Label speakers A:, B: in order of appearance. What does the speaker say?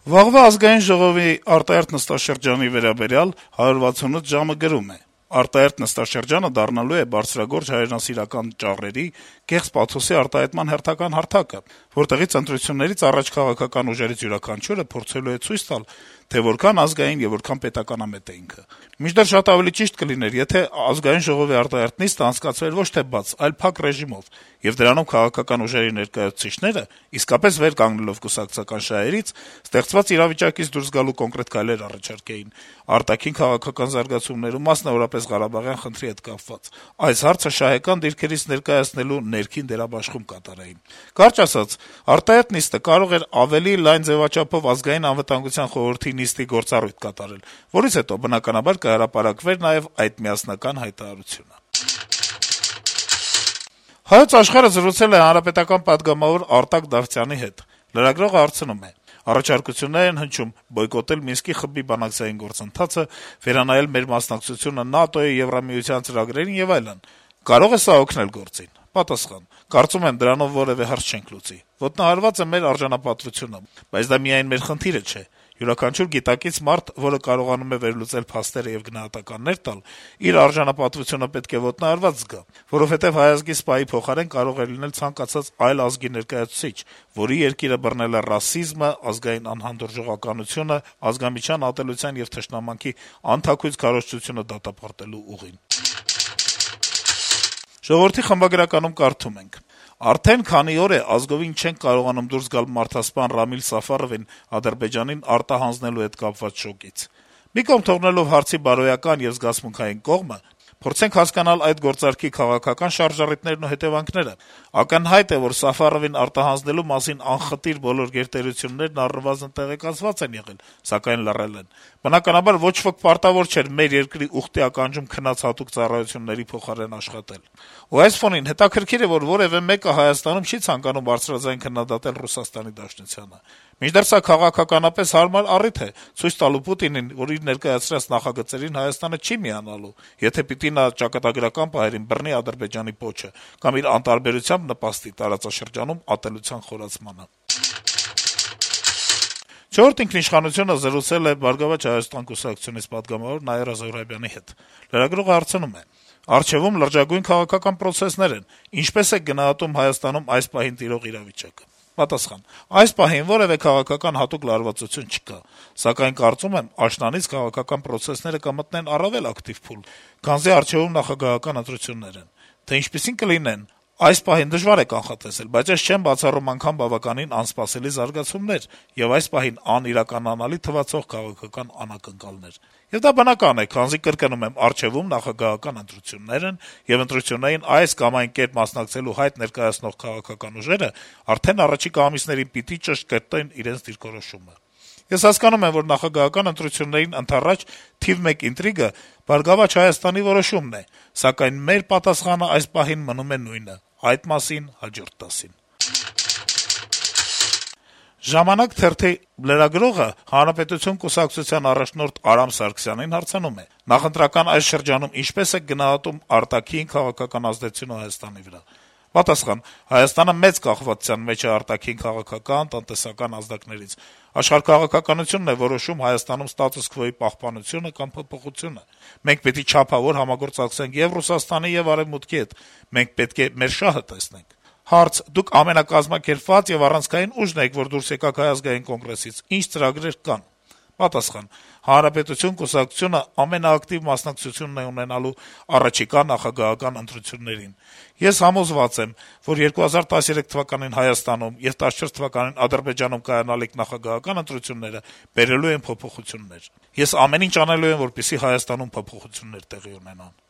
A: Վաղվա ազգային ժողովի արտահերթ նստաշրջանի վերաբերյալ 168 ժամը գրում է. - «Արտահերթ նստաշրջանը դառնալու է բարձրագործ հայրենասիրական ճառերի, կեղծ պաթոսի արտահայտման հերթական հարթակը, որտեղից ընտրություններից առաջ քաղաքական ուժերից յուրաքանչյուրը փորձելու է ցույց տալ, թե որքան ազգային եւ որքան պետականամետ է ինքը: Մինչդեռ շատ ավելի ճիշտ կլիներ, եթե ազգային ժողովի արտահերթ նիստը անցկացվեր ոչ թե բաց, այլ փակ ռեժիմով, եւ դրանում քաղաքական ուժերի ներկայացուցիչները, իսկապես վեր կանգնելով կուսակցական շահերից, ստեղծված իրավիճակից դուրս գալու կոնկրետ քայլեր առաջարկեին արտաքին քաղաքական զարգացումներում, մասնավորապես Ղարաբաղյան խնդրի հետ կապված, այս հարցը շահեկան դիրքերից ներկայացնելու ներքին դերաբաշխում կատարեին: Կարճ ասած, արտահերթ նիստը կարող էր ավելի լայն ձեւաչափով Ազգային անվտանգության խորհրդի նիստի գործառույթ կատարել, որից հետո, բնականաբար, կհրապարակվեր նաեւ այդ միասնական հայտարարությունը»: «Հայոց Աշխարհ»-ը զրուցել է հանրապետական պատգամավոր Արտակ Դավթյանի հետ: Լրագրողը հարցնում է. - «Առաջարկություններ են հնչում բոյկոտել Մինսկի խմբի բանակցային գործընթացը, վերանայել մեր մասնակցությունը ՆԱՏՕ-ի, Եվրամիության ծրագրերին եւ այլն: Կարո՞ղ է սա օգնել գործին»: Պատասխան. - «Կարծում եմ, դրանով որեւէ հարց չենք լուծի: Ոտնահարված է մեր արժանապատվությունը: Բայց դա միայն մեր խնդիրը չէ: Յուրաքանչյուր գիտակից մարդ, որը կարողանում է վերլուծել փաստերը եւ գնահատականներ տալ, իր արժանապատվությունը պետք է ոտնահարված զգա: Որովհետեւ հայ ազգի սպայի փոխարեն կարող է լինել ցանկացած այլ ազգի ներկայացուցիչ, որի երկիրը բռնել է ռասիզմը, ազգային անհանդուրժողականությունը, ազգամիջյան ատելության եւ թշնամանքի անթաքույց քարոզչությունը դատապարտելու ուղին»: «Ժողովուրդ» օրաթերթի խմբագրականում կարդում ենք. - «Արդեն քանի օր է ազգովին չենք կարողանում դուրս գալ մարդասպան Ռամիլ Սաֆարովին Ադրբեջանին արտահանձնելու հետ կապված շոկից: Մի կողմ թողնելով հարցի բարոյական եւ զգացմունքային կողմը, փորձենք հասկանալ այդ գործարքի քաղաքական շարժառիթներն ու հետեւանքները: Ակնհայտ է, որ Սաֆարովին արտահանձնելու մասին անխտիր բոլոր գերտերություններն առնվազն տեղեկացված են եղել, սակայն լռել են: Բնականաբար, ոչ ոք պարտավոր չէր մեր երկրի ուխտի ականջում քնած հատուկ ծառայությունների փոխարեն աշխատել: Ու այս ֆոնին հետաքրքիր է, որ որեւէ մեկը Հայաստանում չի ցանկանում բարձրաձայն քննադատել Ռուսաստանի Դաշնությանը: Մինչդեռ սա քաղաքականապես հարմար առիթ է` ցույց տալու Պուտինին, որ իր ներկայացրած նախագծերին Հայաստանը չի միանալու, եթե պիտի նա ճակատագրական պահերին բռնի Ադրբեջանի պոչը կամ իր անտարբերությամբ նպաստի տարածաշրջանում ատելության խորացմանը»: «Չորրորդ ինքնիշխանություն»-ը զրուցել է «Բարգավաճ Հայաստան» կուսակցությունից պատգամավոր Նաիրա Զոհրաբյանի հետ: Լրագրողը հարցնում է. - «Առջեւում լրջագույն քաղաքական պրոցեսներ են: Ինչպե՞ս եք գնահատում Հայաստանում այս պահին տիրող իրավիճակը»: Պատասխան. - «Այս պահին որեւէ քաղաքական հատուկ լարվածություն չկա: Սակայն կարծում եմ, աշնանից քաղաքական պրոցեսները կմտնեն առավել ակտիվ փուլ, քանզի առջեւում նախագահական ընտրություններ են: Թե ինչպիսին կլինեն, այս պահին դժվար է կանխատեսել, բայց ես չեմ բացառում անգամ բավականին անսպասելի զարգացումներ եւ այս պահին անիրականանալի թվացող քաղաքական անակնկալներ: Եվ դա բնական է, քանզի, կրկնում եմ, առջեւում նախագահական ընտրություններ են, եւ ընտրություններին այս կամ այն կերպ մասնակցելու հայտ ներկայացնող քաղաքական ուժերը արդեն առաջիկա ամիսներին պիտի ճշտ կրտեն իրենց դիրքորոշումը: Ես հասկանում եմ, որ նախագահական ընտրություններին ընդառաջ թիվ մեկ ինտրիգը «Բարգավաճ Հայաստանի» որոշումն է, սակայն մեր պատասխանը այս պահին մնում է նույնը` այդ մասին հաջորդ դասին»: «Ժամանակ» թերթի լրագրողը «Հանրապետություն» կուսակցության առաջնորդ Արամ Սարգսյանին հարցնում է. - «Նախընտրական այս շրջանում ինչպե՞ս եք գնահատում արտաքին քաղաքական ազդեցությունը Հայաստանի վրա»: Պատասխան. - «Հայաստանը մեծ կախվածության մեջ է արտաքին քաղաքական, տնտեսական ազդակներից: Աշխարհաքաղաքականությունն է որոշում Հայաստանում ստատուս քվոյի պահպանությունը կամ փոփոխությունը: Մենք պիտի չափավոր համագործակցենք ե'ւ Ռուսաստանի, ե'ւ Արեւմուտքի հետ: Մենք պետք է մեր շահը տեսնենք»: Հարց. - «Դուք ամենակազմակերպված եւ առանցքային ուժն եք, որ դուրս եկաք Հայ ազգային կոնգրեսից: Ինչ ծրագրեր կան»: Պատասխան. - «Հանրապետություն» կուսակցությունը ամենաակտիվ մասնակցությունն է ունենալու առաջիկա նախագահական ընտրություններին: Ես համոզված եմ, որ 2013 թվականին Հայաստանում եւ 2014 թվականին Ադրբեջանում կայանալիք նախագահական ընտրությունները բերելու են փոփոխություններ: Ես ամեն ինչ անելու եմ, որպեսզի Հայաստանում փոփոխություններ տեղի ունենան»: